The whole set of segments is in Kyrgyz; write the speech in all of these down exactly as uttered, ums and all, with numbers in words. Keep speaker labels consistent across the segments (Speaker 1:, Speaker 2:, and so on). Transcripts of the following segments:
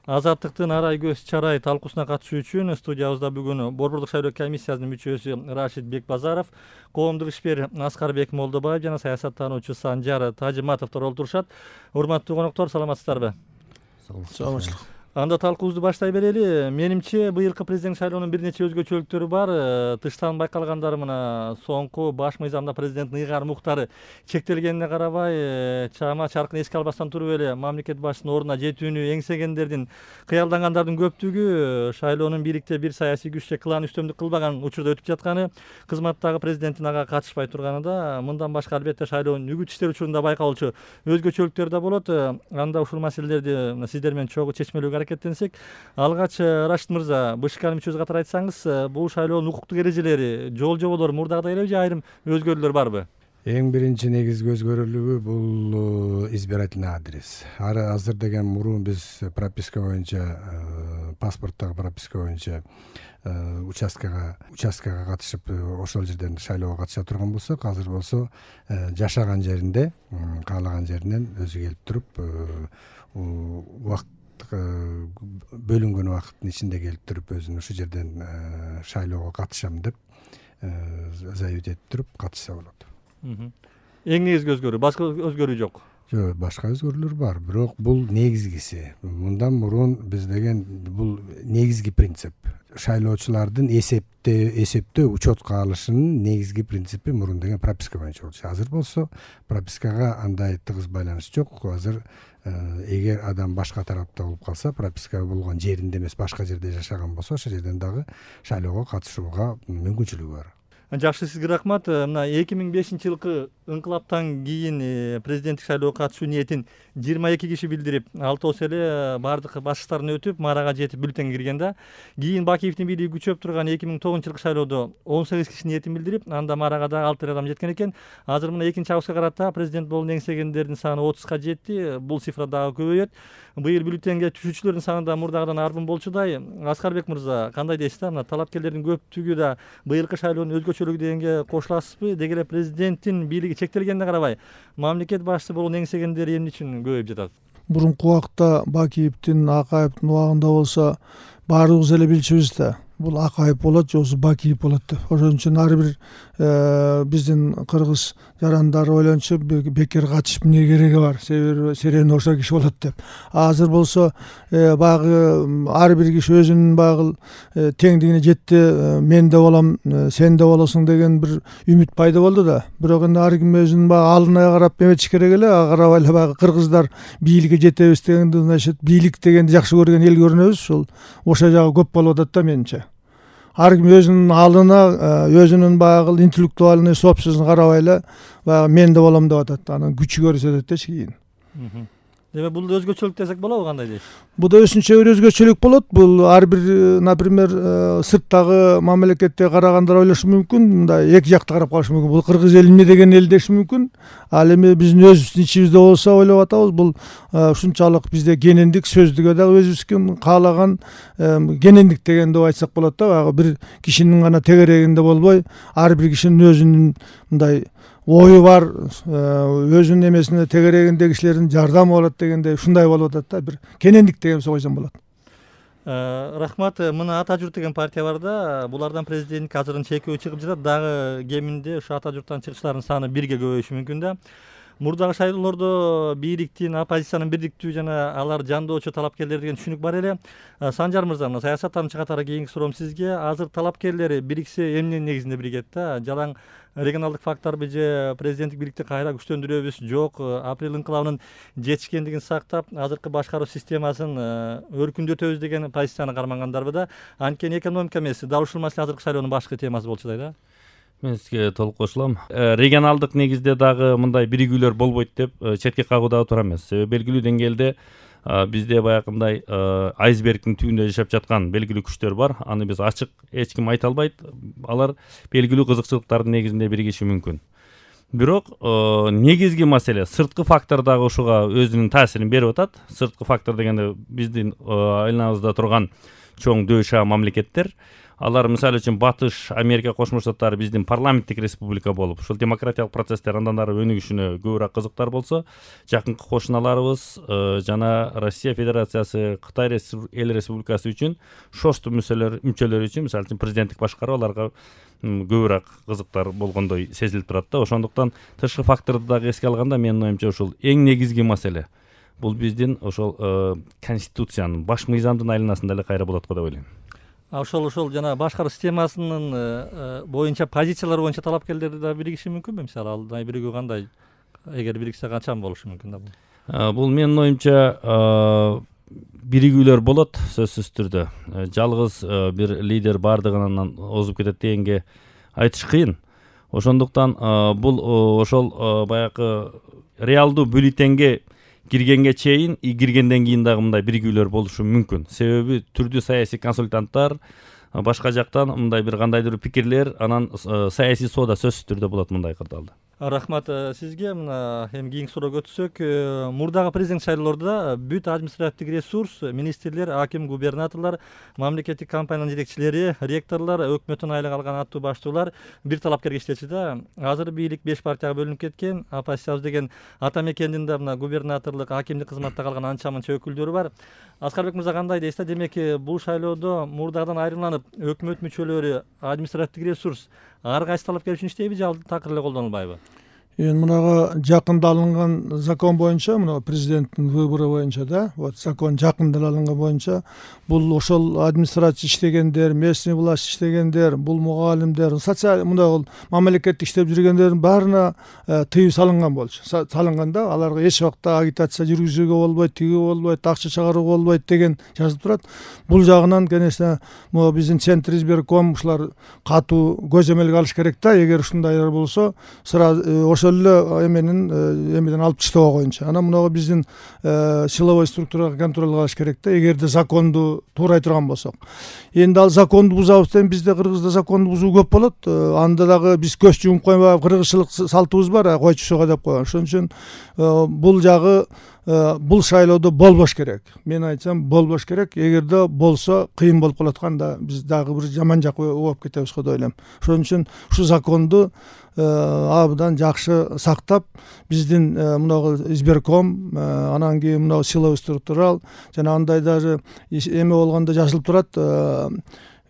Speaker 1: Азаттыктын арай көз чарай талкуусуна катышуу үчүн студиябызда бүгүн Борбордук шайлоо комиссиясынын мүчөсү Рашид Бекбазаров, коомдук ишмер Аскарбек Молдобаев жана саясаттануучу Санжар Тажыматовдор олтурушат. Урматтуу коноктор, саламатсыздарбы?
Speaker 2: Саламатчылык.
Speaker 1: Анда талкуубузду баштай берели. Менимче быйылкы президент шайлоонун бир нече өзгөчөлүктөрү бар. Тыштан байкалгандары мына соңку баш мыйзамда президенттин ыйгарым укуктары чектелгенине карабай, чама чаркын эске албастан туруп эле мамлекет башчысынын ордуна жетүүнү эңсегендердин, кыялдангандардын көптүгү шайлоонун бийликте бир саясий күч же клан үстөмдүк кылбаган учурда өтүп жатканы, кызматтагы президенттин ага катышпай турганы да, мындан башка албетте шайлоонун үгүт иштери учурунда байкалчу өзгөчөлүктөр да болот. Анда ушул маселелерди сиздер менен чогуу чечмелөөгө аракеттенсек, алгач Рашид мырза, БШКнын мүчөсү катары айтсаңыз, бул шайлоонун укуктук эрежелери, жол жоболору мурдагыдай элеби же айрым өзгөрүүлөр барбы?
Speaker 2: Эң биринчи негизги өзгөрүүлүгү бул избирательный адрес. Азыр деген мурун биз прописка боюнча, паспорттогу прописка боюнча участкага участкага катышып, ошол жерден шайлоого катыша турган болсок, азыр болсо жашаган жеринде, каалаган жеринен өзү келип туруп, убакыт бөлүнгөн убакыттын ичинде келип туруп, өзүн ушул жерден шайлоого катышам деп заявить этип туруп катышса болот.
Speaker 1: Эң негизги өзгөрүү, башка өзгөрүү жок.
Speaker 2: Жок, башка өзгөрүүлөр бар, бирок бул негизгиси. Мындан мурун биз деген бул негизги принцип. Шайлоочулардын эсептөө эсептөө учетко алышынын негизги принципи мурун деген прописка боюнча болчу. Азыр болсо пропискага андай тыгыз байланыш жок. Азыр эгер адам башка тарапта болуп калса, прописка болгон жеринде эмес, башка жерде жашаган болсо, ошол жерден дагы шайлоого катышууга мүмкүнчүлүгү бар.
Speaker 1: Жакшы, сизге рахмат. Мына эки миң бешинчи жылкы ыңкылаптан кийин президенттик шайлоого катышуу ниетин жыйырма эки киши билдирип, алтоосу эле баардык баскычтарын өтүп, марага жетип бюллетень кирген да. Кийин Бакиевдин бийлиги күчөп турган эки миң тогузунчу жылкы шайлоодо он сегиз киши ниетин билдирип, анда марага да алты адам жеткен экен. Азыр мына экинчи августка карата президент болууну эңсегендердин саны отузга жетти. Бул цифра дагы көбөйөт. Быйыл бюллетенге түшүүчүлөрдүн саны да мурдагыдан арбын болчудай. Аскарбек мырза, кандай дейсиз да? Мына талапкерлердин көптүгү да быйылкы шайлоонун өзгөчөлүгү дегенге кошуласызбы? Деги эле президенттин бийлиги чектелгенине карабай, мамлекет башчысы болууну эңсегендер эмне үчүн көбөйүп жатат?
Speaker 3: Мурунку убакта Бакиевдин, Акаевдин убагында болсо баарыбыз эле билчүбүз да. Бул Акаев болот, жоксу Бакиев болот деп. Ошон үчүн ар бир биздин кыргыз жарандары ойлончу бекер катышып эмне кереги бар, себеби серени ошо киши болот деп. Азыр болсо баягы ар бир киши өзүнүн баягы теңдигине жетти, мен да болом, сен да болосуң деген бир үмүт пайда болду да. Бирок эми ар ким өзүнүн баягы алдына карап эметиш керек эле, ага карабай эле баягы кыргыздар бийликке жетебиз дегенди, значит, бийлик дегенди жакшы көргөн эл көрүнөбүз, ушул ошол жагы көп болуп атат да менимче. Ар ким өзүнүн алдына, өзүнүн баягы интеллектуальный собственностун карабай эле баягы мен да болом деп атат. Анан күчү көрсөтөт да кийин.
Speaker 1: Демек бул өзгөчөлүк десек болобу, кандай дейсиз?
Speaker 3: Бул да өзүнчө бир өзгөчөлүк болот. Бул ар бир, например, сырттагы мамлекетте карагандар ойлошу мүмкүн, мындай эки жакты карап калышы мүмкүн. Бул кыргыз эл эмне деген эл деши мүмкүн. Ал эми биздин өзүбүздүн ичибизде болсо ойлоп атабыз, бул ушунчалык бизде кенендик, сөздүгө дагы өзүбүздүн каалаган кенендик деген деп айтсак болот да. Баягы бир кишинин гана тегерегинде болбой, ар бир кишинин өзүнүн мындай ою бар, өзүнүн эмесине тегерегинде кишилердин жардамы болот дегенде ушундай болуп атат да, бир кенендик деген койсом болот.
Speaker 1: Рахмат. Мына Ата журт деген партия бар да, булардан президенттик азырын чекөө чыгып жатат. Дагы кеминде ушу Ата журттан чыгышлардын саны бирге көбөйүшү мүмкүн да. Мурдагы шайлоолордо бийликтин, оппозициянын бирдиктүү жана алар жандоочу талапкерлер деген түшүнүк бар эле. Санжар мырза, мына саясаттануучу катары кийинки суроом сизге. Азыр талапкерлери бириксе эмненин негизинде биригет да? Жалаң регионалдык факторбу же президенттик бийликти кайра күчтөндүрөбүз? Жок, апрель ыңкылабынын жетишкендигин сактап, азыркы башкаруу системасын өркүндөтөбүз деген позицияны кармангандарбы да? Анткени экономика эмес, дал ушул маселе азыркы шайлоонун башкы темасы болчудай да.
Speaker 4: Мен сизге толук кошулам. Регионалдык негизде дагы мындай биригүүлөр болбойт деп четке кагууда туура эмес. Себеби белгилүү деңгээлде бизде баягындай айсбергдин түбүндө жашап жаткан белгилүү күчтөр бар. Аны биз ачык эч ким айта албайт. Алар белгилүү кызыкчылыктардын негизинде биригиши мүмкүн. Бирок негизги маселе сырткы фактор дагы ушуга өзүнүн таасирин берип атат. Сырткы фактор дегенде биздин айланабызда турган чоң дөшаа мамлекеттер. алар мисалы үчүн Батыш Америка Кошмо Штаттары биздин парламенттик республика болуп, ушул демократиялык процесстер андан ары өнүгүшүнө көбүрөөк кызыктар болсо, жакынкы кошуналарыбыз жана Россия Федерациясы, Кытай Эл Республикасы үчүн шосту мүчөлөр үчүн мисалы үчүн президенттик башкаруу аларга көбүрөөк кызыктар болгондой сезилип турат да. Ошондуктан тышкы факторду дагы эске алганда менин оюмча ушул эң негизги маселе. Бул биздин ошол конституциянын, баш мыйзамдын айланасында эле кайра болот го деп ойлойм.
Speaker 1: Ошол ошол жана башкаруу системасынын боюнча позициялар боюнча талапкерлер да биригиши мүмкүнбү? Мисалы ал биригүү кандай? Эгер бириксе качан болушу мүмкүн да бул?
Speaker 4: Бул менин оюмча биригүүлөр болот сөзсүз түрдө. Жалгыз бир лидер бардыгынан озуп кетет дегенге айтыш кыйын. Ошондуктан бул ошол баягы реалдуу бюллетенге киргенге чейин и киргенден кийин дагы мындай биригүүлөр болушу мүмкүн. Себеби түрдүү саясий консультанттар башка жактан мындай бир кандайдыр пикирлер, анан саясий соода сөзсүз түрдө болот мындай кырдаалда.
Speaker 1: Рахмат сизге. Мына эми кийинки суроого өтсөк, мурдагы президент шайлоолордо бүт административдик ресурс, министрлер, аким, губернаторлор, мамлекеттик компаниянын жетекчилери, ректорлор, өкмөттөн айлык алган аттуу баштуулар бир талапкерге иштечү да. Азыр бийлик беш партияга бөлүнүп кеткен. Оппозициябыз деген ата мекендин да мына губернаторлук, акимдик кызматта калган анча мынча өкүлдөрү бар. Аскарбек мырза кандай дейсиз? Демек бул шайлоодо мурдагыдан айрымланып, өкмөт мүчөлөрү, административдик ресурс ар кайсы талапкер үчүн иштейби же такыр эле колдонулбайбы?
Speaker 3: Эми мунага жакында алынган закон боюнча, мына президенттин выбору боюнча да, вот закон жакында алынган боюнча, бул ошол администрация иштегендер, местный власть иштегендер, бул мугалимдер, социаль мына мамлекеттик иштеп жүргөндөрдүн баарына тыюу салынган болчу. Салынган да, аларга эч убакта агитация жүргүзүүгө болбойт, тиги болбойт, акча чыгарууга болбойт деген жазылып турат. Бул жагынан, конечно, могу биздин Центр избирком ушулар катуу көзөмөлгө алыш керек да. Эгер ушундайлар болсо, сразу ошол эле эменин эмеден алып таштоо боюнча. Анан мунагы биздин силовой структурага контроль кылыш керек да, эгерде законду туурай турган болсок. Энди ал законду бузабыз десем, бизде Кыргызда законду бузуу көп болот. Анда дагы биз көз жумуп койбай, кыргызчылык салтыбыз бар, койчусуга деп койгон. Ошон үчүн бул жагы бул шайлоодо болбош керек. Мен айтсам, болбош керек. Эгерде болсо кыйын болуп калат анда биз дагы бир жаман жакка ооп кетебиз го деп ойлойм. Ошон үчүн ушу законду абдан жакшы сактап, биздин мынагы избирком, анан кийин мынагы силовой структурал жана андай даже эме болгондо жазылып турат,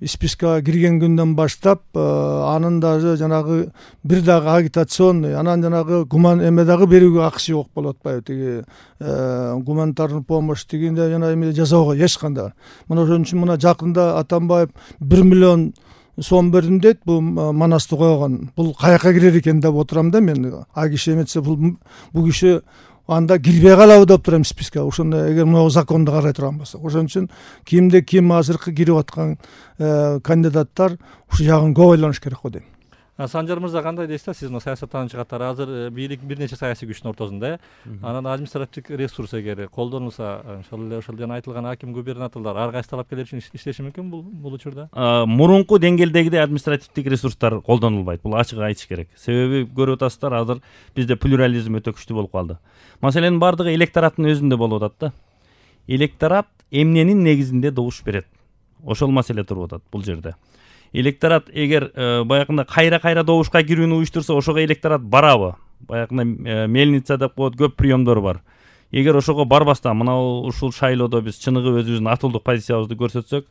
Speaker 3: спискага кирген күндөн баштап анын даже жанагы бир дагы агитационный, анан жанагы гуман эме дагы берүүгө акысы жок болуп атпайбы, тиги гуманитарный помощь дегенде жана эме жасоого эч кандай. Мына ошон үчүн мына жакында Атамбаев бир миллион сом бердим дейт, бул манасты койгон. Бул каяка кирер экен деп отурам да мен. А киши эметсе бул бул киши анда кирбей калабы деп турам спискага. Ошондо эгер мына законду карай турган болсок. Ошон үчүн кимде ким азыркы кирип аткан кандидаттар ушу жагын көп ойлонуш керек го дейм.
Speaker 1: Санжар мырза кандай дейсиз? Сиз мына саясаттануучу катары азыр бийлик бир нече саясий күчтүн ортосунда, анан административдик ресурс эгер колдонулса, ошол эле ошол жана айтылган аким, губернаторлор ар кайсы талапкерлер үчүн иштеши мүмкүн бул бул учурда?
Speaker 4: Мурунку деңгээлдегидей административдик ресурстар колдонулбайт. Бул ачык айтыш керек. Себеби көрүп атасыздар, азыр бизде плюрализм өтө күчтүү болуп калды. Маселенин бардыгы электораттын өзүндө болуп атат да. Электорат эмненин негизинде добуш берет? Ошол маселе туруп атат бул жерде. Электорат эгер баягында кайра-кайра добушка кирүүнү уюштурса, ошого электорат барабы? Баягында мельница деп коет, көп приемдор бар. Эгер ошого барбастан мына ушул шайлоодо биз чыныгы өзүбүздүн атылдык позициябызды көрсөтсөк,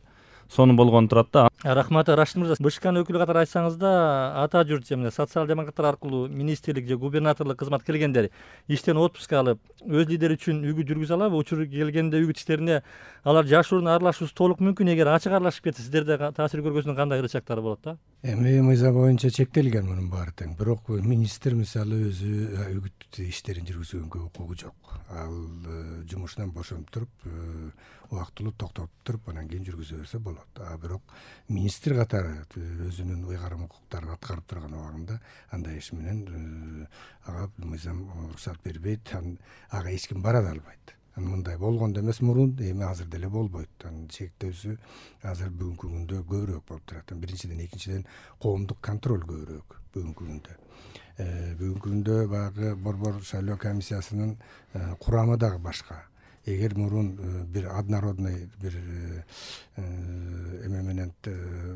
Speaker 4: сонун болгон турат да.
Speaker 1: Рахмат, Рашид мырза. БШКнын өкүлү катары айтсаңыз да, ата журт же социал демократтар аркылуу министрлик же губернаторлук кызмат келгендер иштен отпуск алып, өз лидери үчүн үгүт жүргүзө алабы? Учур келгенде үгүт иштерине алар жашыруун аралашуусу толук мүмкүн. Эгер ачык аралашып кетсе, сиздерде таасир көргөзүүнүн кандай ырычактары болот да?
Speaker 2: Эми мыйзам боюнча чектелген мунун баары тең. Бирок министр мисалы өзү үгүт иштерин жүргүзгөнгө укугу жок. Ал жумушунан бошонуп туруп, убактылуу токтотуп туруп, анан кийин жүргүзө берсе болот. А бирок министр катары өзүнүн ыйгарым укуктарын аткарып турган убагында андай иш менен ага мыйзам уруксат бербейт, ага эч ким бара да албайт. Мындай болгондо эмес мурун, эми азыр деле болбойт. Чектөөсү азыр бүгүнкү күндө көбүрөөк болуп турат. Биринчиден, экинчиден коомдук контроль көбүрөөк бүгүнкү күндө. Бүгүнкү күндө баягы борбор шайлоо комиссиясынын курамы дагы башка. эгер мурун бир однородный бир эме менен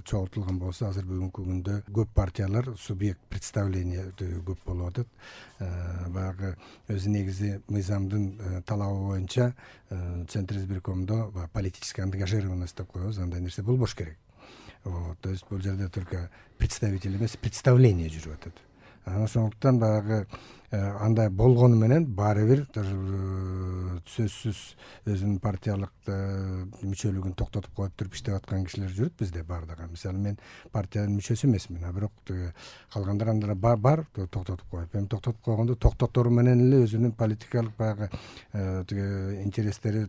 Speaker 2: чогултулган болсо, азыр бүгүнкү күндө көп партиялар субъект представления көп болуп атат. Баягы өзү негизи мыйзамдын талабы боюнча Центр избиркомдо политическая ангажированность деп коебуз, андай нерсе болбош керек. Вот, то есть бул жерде только представитель эмес, представление жүрүп атат. Анан ошондуктан баягы андай болгону менен баары бир сөзсүз өзүнүн партиялык мүчөлүгүн токтотуп коюп туруп иштеп аткан кишилер жүрөт бизде баардыгы. Мисалы мен партиянын мүчөсү эмесмин, а бирок калгандар андыр бар, бар токтотуп коюп. Эми токтотуп койгондо токтотору менен эле өзүнүн политикалык баягы интерестери,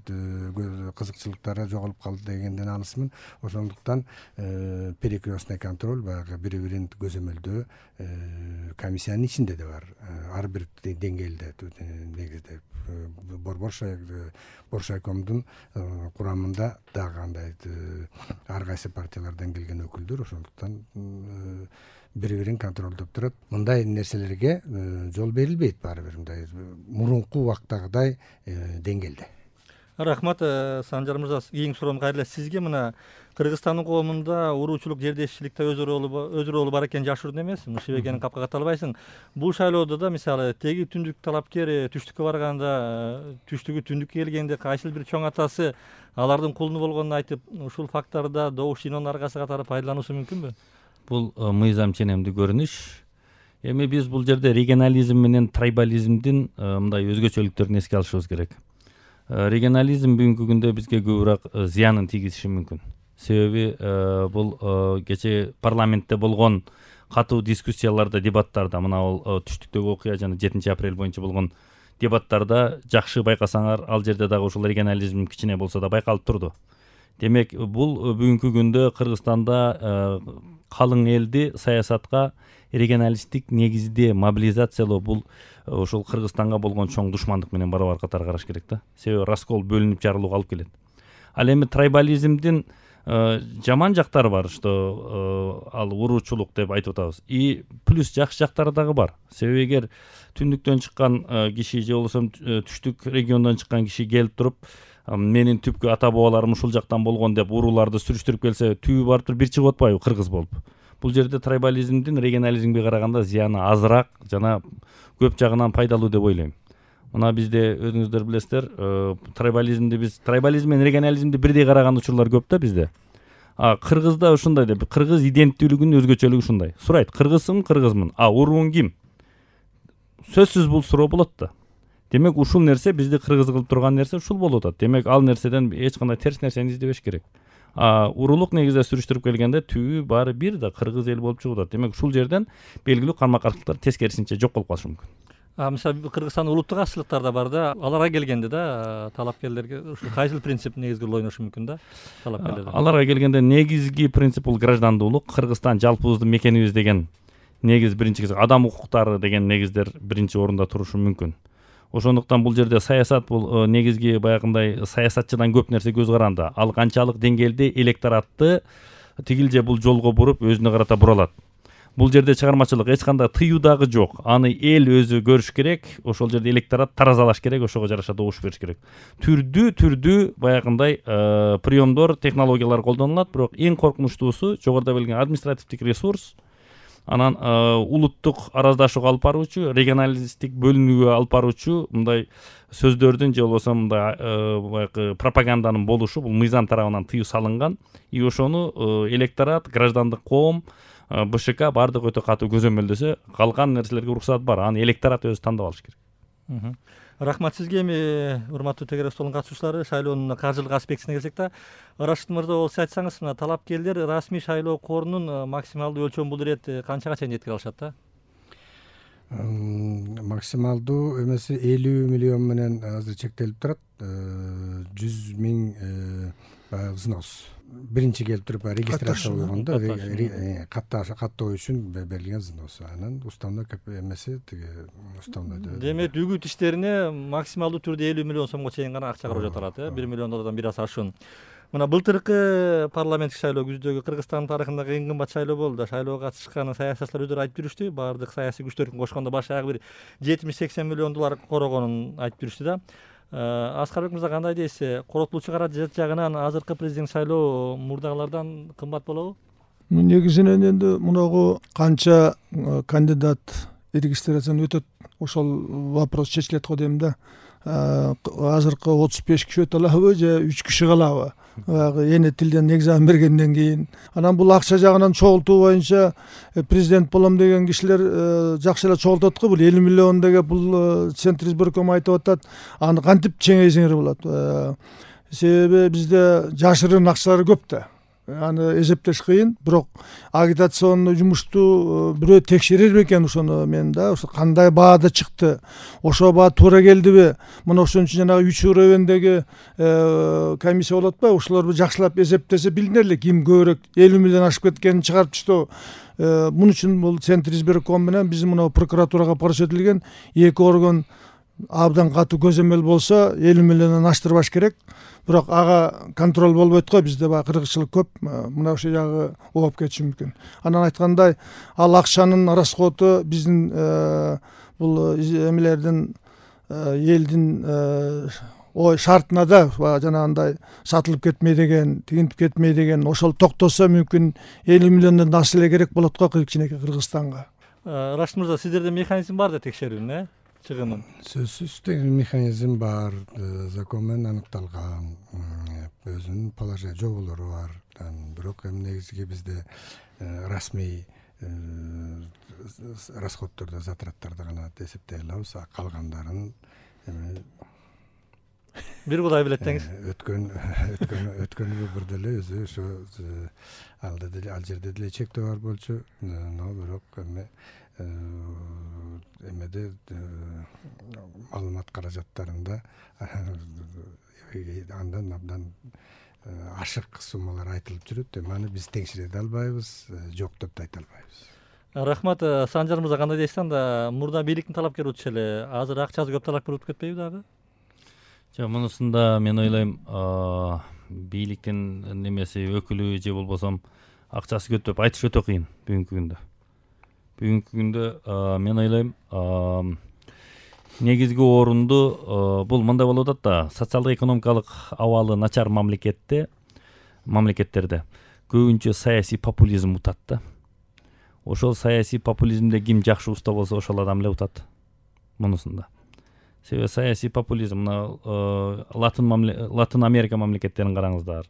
Speaker 2: кызыкчылыктары жоголуп калды дегенден алысмын. Ошондуктан перекрестный контроль, баягы бири-бирин көзөмөлдөө комиссиянын ичинде да бар. Ар бир деңгээлде негизде борборшай боршайкомдун курамында дагы андай ар кайсы партиялардан келген өкүлдөр, ошондуктан бири-бирин контролдоп турат. Мындай нерселерге жол берилбейт баары бир мындай мурунку убактагыдай деңгээлде.
Speaker 1: Рахмат, Санжар мырза, кийинки суроом кайра сизге. Мына Кыргызстандын коомунда уруучулук, жердешчиликте өз ролу бар экен, жашыруун эмес. Шибегени капка ката албайсың. Бул шайлоодо да мисалы теги түндүк талапкер түштүккө барганда, түштүгү түндүккө келгенде кайсыл бир чоң атасы алардын кулуну болгонун айтып, ушул фактордо добуш жыйноонун аркасы катары пайдалануусу мүмкүнбү?
Speaker 4: Бул мыйзам ченемдүү көрүнүш. Эми биз бул жерде регионализм менен трайбализмдин мындай өзгөчөлүктөрүн эске алышыбыз керек. Регионализм бүгүнкү күндө бизге көбүрөөк зыянын тийгизиши мүмкүн. Себеби бул кечээ парламентте болгон катуу дискуссияларда, дебаттарда, мына бул түштүктөгү окуя жана жетинчи апрель боюнча болгон дебаттарда жакшы байкасаңар, ал жерде дагы ушул регионализм кичине болсо да байкалып турду. Демек, бул бүгүнкү күндө Кыргызстанда калың элди саясатка регионалисттик негизде мобилизациялоо бул ошол Кыргызстанга болгон чоң душмандык менен барабар катары караш керек да. Себеби раскол, бөлүнүп жарылууга алып келет. Ал эми трайбализмдин жаман жактары бар, что ал уруучулук деп айтып атабыз. И плюс жакшы жактары дагы бар. Себеби эгер түндүктөн чыккан киши же болбосо түштүк региондон чыккан киши келип туруп, менин түпкү ата бабаларым ушул жактан болгон деп урууларды сүрүштүрүп келсе, түбү барып туруп бир чыгып атпайбы кыргыз болуп. Бул жерде трайбализмдин регионализмге караганда зыяны азыраак жана көп жагынан пайдалуу деп ойлойм. Мына бизде өзүңүздөр билесиздер, трайбализмди биз трайбализм менен регионализмди бирдей караган учурлар көп да бизде. А кыргызда ушундай деп, кыргыз иденттүүлүгүнүн өзгөчөлүгү ушундай. Сурайт, кыргызсың, кыргызмын. А урууң ким? Сөзсүз бул суроо болот да. Демек, ушул нерсе бизди кыргыз кылып турган нерсе ушул болуп атат. Демек, ал нерседен эч кандай терс нерсени издебеш керек. А урулук негизде сүрүштүрүп келгенде түбү баары бир да кыргыз эл болуп чыгып атат. Демек, ушул жерден белгилүү карма-каршылыктар тескерисинче жок болуп калышы мүмкүн.
Speaker 1: А мисалы Кыргызстандын улуттук азчылыктар да бар да, аларга келгенде да талапкерлерге ушул кайсыл принцип негизги роль ойношу мүмкүн да талапкерлерде?
Speaker 4: Аларга келгенде негизги принцип бул граждандуулук, Кыргызстан жалпыбыздын мекенибиз деген негиз биринчи, адам укуктары деген негиздер биринчи орунда турушу мүмкүн. Ошондуктан бул жерде саясат бул негизги баягындай саясатчыдан көп нерсе көз каранды. Ал канчалык деңгээлде электоратты тигилже бул жолго буруп өзүнө карата бура алат. Бул жерде чыгармачылык эч кандай тыюу дагы жок. Аны эл өзү көрүш керек, ошол жерде электорат таразалаш керек, ошого жараша добуш бериш керек. Түрдүү түрдүү баягындай приемдор, технологиялар колдонулат, бирок эң коркунучтуусу жогоруда белгилеген административдик ресурс, анан улуттук араздашууга алып баруучу, регионалисттик бөлүнүүгө алып баруучу мындай сөздөрдүн же болбосо мындай баягы пропаганданын болушу бул мыйзам тарабынан тыюу салынган. И ошону электорат, граждандык коом, БШК бардыгы өтө катуу көзөмөлдөсө, калган нерселерге уруксат бар. Аны электорат өзү тандап алыш керек.
Speaker 1: Рахмат сизге. Эми урматтуу тегерек столдун катышуучулары, шайлоонун каржылык аспектине келсек да, Рашид мырза болсо айтсаңыз, мына талапкерлер расмий шайлоо корунун максималдуу өлчөмү бул ирет канчага чейин жеткире алышат да?
Speaker 2: Максималдуу эмеси элүү миллион менен азыр чектелип турат. жүз миң взнос. Биринчи келип туруп регистрация болгондо каттоо үчүн берилген взнос. Анан уставной эмеси тиги уставной.
Speaker 1: Демек, үгүт иштерине максималдуу түрдө элүү миллион сомго чейин гана акча каражат жатат, э? бир миллион доллардан бир аз ашуун. Мына былтыркы парламенттик шайлоо күздөгү Кыргызстандын тарыхындагы эң кымбат шайлоо болду. Шайлоого катышкан саясатчылар өздөрү айтып жүрүштү. Баардык саясий күчтөрдүн кошкондо башагы бир жетимиш сексен миллион доллар корогонун айтып жүрүштү да. Аскарбек мырза кандай дейсиз? Коротулуучу каражат жагынан азыркы президент шайлоо мурдагылардан кымбат болобу?
Speaker 3: Негизинен энди мунагу канча кандидат регистрацияны өтөт, ошол вопрос чечилет го дейм да. Азыркы отуз беш киши өтө алабы же үч киши калабы? Баягы эне тилден экзамен бергенден кийин. Анан бул акча жагынан чогултуу боюнча президент болом деген кишилер жакшы эле чогултат го. Бул элүү миллион деген бул Центр избирком айтып атат. Аны кантип чеңейсеңер болот? Себеби бизде жашырын акчалар көп да. Аны эсептеш кыйын, бирок агитационный жумушту бирөө текшерер бекен ошону мен да, ошо кандай баада чыкты, ошо баа туура келдиби? Мына ошон үчүн жанагы үч уровендеги комиссия болот атпайбы? Ошолор жакшылап эсептесе билинер эле ким көбүрөөк элүү миллион ашып кеткенин чыгарып түштү. Мун үчүн бул Центр избирком менен биздин мына прокуратурага көрсөтүлгөн эки орган абдан катуу көзөмөл болсо элүү миллиондон аштырбаш керек. Бирок ага контроль болбойт го, бизде баягы кыргызчылык көп, мына ошол жагы ооп кетиши мүмкүн. Анан айткандай, ал акчанын расходу биздин бул эмелердин элдин ой шартына да жанагындай сатылып кетмей деген, тигинтип кетмей деген, ошол токтосо мүмкүн элүү миллиондон ашса эле керек болот го кичинекей Кыргызстанга.
Speaker 1: Рашид мырза, сиздерде механизм бар да текшерүүнүн, э? Чыгымын.
Speaker 2: Сөзсүз деген механизм бар, закон менен аныкталган, өзүнүн положение жоболору бар. Бирок эми негизги бизде расмий расходдорду, затраттарды гана эсептей алабыз, калгандарын эми
Speaker 1: бир Кудай билет деңиз.
Speaker 2: Өткөн өткөн өткөнү бир деле өзү ошо алда деле ал жерде деле чектөө бар болчу, но бирок эми эмеде маалымат каражаттарында андан абдан ашык суммалар айтылып жүрөт. Эми аны биз текшере албайбыз, жок деп да айта албайбыз.
Speaker 1: Рахмат. Санжар мырза, кандай дейсиз анда? Мурда бийликтин талапкери болчу эле, азыр акчасы көп талапкер болуп кетпейби дагы?
Speaker 4: Жок, мунусунда мен ойлойм, бийликтин немеси өкүлү же болбосом акчасы көп деп айтыш өтө кыйын бүгүнкү күндө. Бүгүнкү күндө мен ойлойм, негизги орунду бул мындай болуп атат да, социалдык экономикалык абалы начар мамлекетте, мамлекеттерде көбүнчө саясий популизм утат да. Ошол саясий популизмде ким жакшы уста болсо ошол адам эле утат мунусунда. Себеби саясий популизм мына Латын Латын Америка мамлекеттерин караңыздар,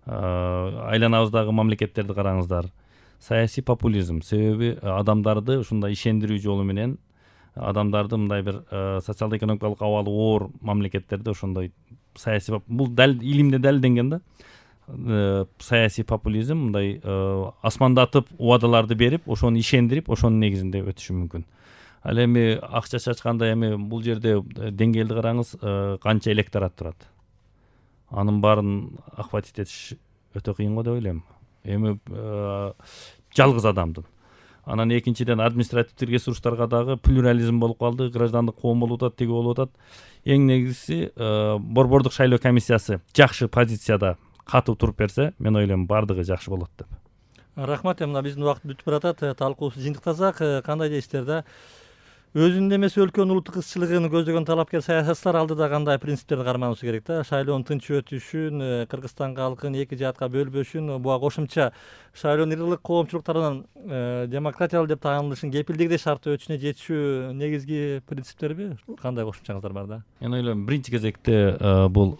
Speaker 4: айланабыздагы мамлекеттерди караңыздар. Саясий популизм себеби адамдарды ушундай ишендирүү жолу менен, адамдарды мындай бир социалдык экономикалык абалы оор мамлекеттерде ошондой саясий, бул дал илимде далилденген да. Саясий популизм мындай асмандатып убадаларды берип, ошону ишендирип, ошонун негизинде өтүшү мүмкүн. Ал эми акча чачканда эми бул жерде деңгээлди караңыз, канча электорат турат. Анын баарын охватить этиш өтө кыйын го деп ойлойм. Эми жалгыз адамдын. Анан экинчиден административдик ресурстарга дагы плюрализм болуп калды, граждандык коом болуп атат, теги болуп атат. Эң негизгиси борбордук шайлоо комиссиясы жакшы позицияда катуу туруп берсе, мен ойлойм бардыгы жакшы болот деп.
Speaker 1: Рахмат. Мына биздин убакыт бүтүп баратат, талкуубузду жыйынтыктасак, кандай дейсиздер да? Өзүнүн эмес өлкөнүн улуттук ызчылыгын көздөгөн талапкер саясатчылар алдыда кандай принциптерди карманысы керек да? Шайлоонун тынч өтүшүн, Кыргызстан калкын эки жаатка бөлбөшүн, буга кошумча шайлоонун ырлык коомчулук тарабынан демократиялуу деп таанылышын кепилдиги шарттуу өтүшүнө жетишүү негизги принциптерби? Кандай кошумчаңыздар бар да?
Speaker 4: Мен ойлойм, биринчи кезекте бул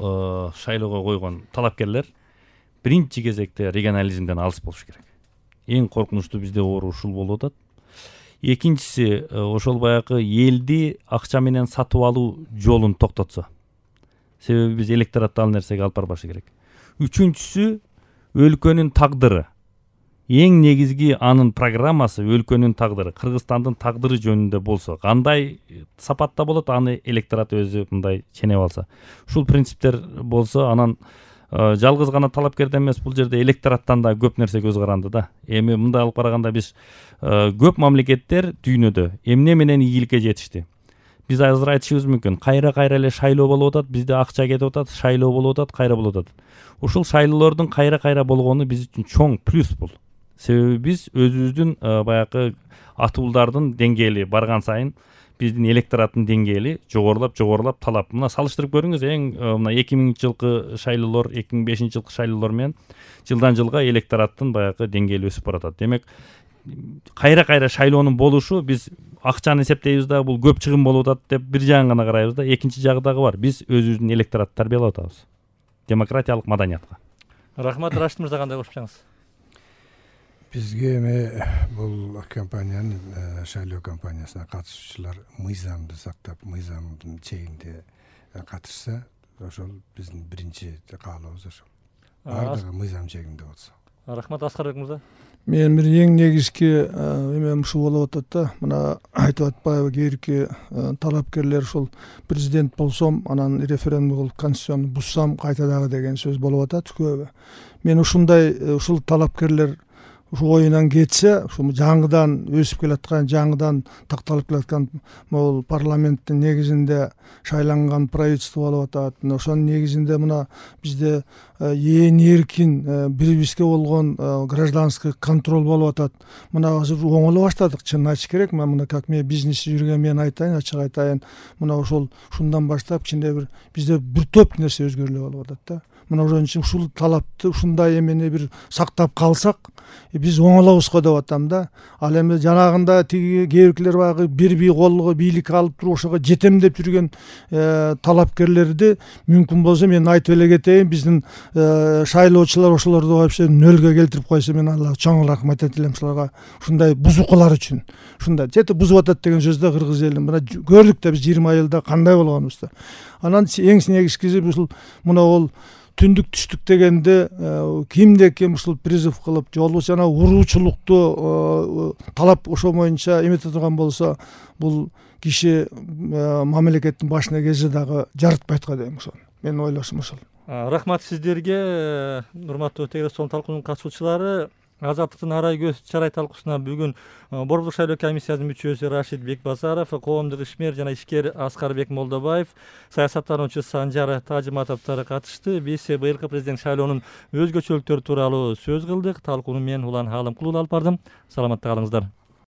Speaker 4: шайлоого койгон талапкерлер биринчи кезекте регионализмден алыс болуш керек. Эң коркунучтуу бизде оору ушул болуп атат. Экинчиси, ошол баягы элди акча менен сатып алуу жолун токтотсо. Себеби биз электоратты ал нерсеге алып барбашы керек. Үчүнчүсү, өлкөнүн тагдыры. Эң негизги анын программасы өлкөнүн тагдыры, Кыргызстандын тагдыры жөнүндө болсо, кандай сапатта болот, аны электорат өзү мындай ченеп алса. Ушул принциптер болсо, анан жалгыз гана талапкерден эмес, бул жерде электораттан да көп нерсе көз каранды да. Эми мындай алып караганда биз көп мамлекеттер дүйнөдө эмне менен ийгиликке жетишти. Биз азыр айтышыбыз мүмкүн, кайра-кайра эле шайлоо болуп атат, бизде акча кетип атат, шайлоо болуп атат, кайра болуп атат. Ушул шайлоолордун кайра-кайра болгону биз үчүн чоң плюс бул. Себеби биз өзүбүздүн баягы атуулдардын деңгээли барган сайын биздин электораттын деңгээли жогорулап жогорулап талап мына салыштырып көрүңүз эң мына эки миңинчи жылкы шайлоолор эки миң бешинчи жылкы шайлоолор менен жылдан жылга электораттын баягы деңгээли өсүп баратат. Демек кайра кайра шайлоонун болушу биз акчаны эсептейбиз да бул көп чыгым болуп атат деп бир жагын гана карайбыз да, экинчи жагы дагы бар. Биз өзүбүздүн электоратты тарбиялап атабыз демократиялык маданиятка.
Speaker 1: Рахмат. Рашид мырза кандай кошупчаңыз?
Speaker 2: Бизге эми бул компаниянын шайлоо компаниясына катышуучулар мыйзамды сактап, мыйзамдын чегинде катышса, ошол биздин биринчи каалообуз ошол. Бардыгы мыйзам чегинде болсо.
Speaker 1: Рахмат. Аскарбек мырза.
Speaker 3: Менин бир эң негизги эмем ушул болуп атат да. Мына айтып атпайбы, кээрки талапкерлер ушул президент болсом, анан референдум кылып конституцияны бузсам кайта дагы деген сөз болуп атат көбү. Мен ушундай ушул талапкерлер ушу оюнан кетсе, ушу жаңыдан өсүп келаткан, жаңыдан такталып келаткан могул парламенттин негизинде шайланган правительство болуп атат. Ошонун негизинде мына бизде ээн эркин бири бизге болгон гражданский контроль болуп атат. Мына азыр оңоло баштадык, чынын айтыш керек. Мен мына как мен бизнесте жүргөн мен айтайын, ачык айтайын. Мына ошол ушундан баштап кичине бир бизде бир топ нерсе өзгөрүлүп болуп атат да. Мына ошон үчүн ушул талапты ушундай эмени бир сактап калсак, биз оңолобузго деп атам да. Ал эми жанагында тиги кээбиркилер баягы бир бий колго бийлик алып туруп ошого жетем деп жүргөн талапкерлерди мүмкүн болсо мен айтып эле кетейин, биздин шайлоочулар ошолорду вообще нөлгө келтирип койсо, мен Аллага чоң рахмат айтып элем ушуларга, ушундай бузукулар үчүн. Ушундай жети бузуп атат деген сөз да кыргыз эли. Мына көрдүк да биз жыйырма жылда кандай болгонубузду. Анан эң негизгиси ушул мына ол түндүк түштүк дегенде кимде ким ушул призыв кылып жолу жана уруучулукту талап ошо боюнча эмете турган болсо, бул киши мамлекеттин башына келсе дагы жарытпайт го дейм. Ошол менин ойлошум ошол.
Speaker 1: Рахмат сиздерге, урматтуу Телестон талкуунун катышуучулары. Азаттыктын арай көз чарай талкуусуна бүгүн Борбор шайлоо комиссиясынын мүчөсү Рашид Бекбазаров, коомдук ишмер жана ишкер Аскарбек Молдобаев, саясаттануучу Санжар Тажыматовдор катышты. Биз быйылкы президент шайлоонун өзгөчөлүктөрү тууралуу сөз кылдык. Талкууну мен Улан Алымкулов алып бардым. Саламатта калыңыздар.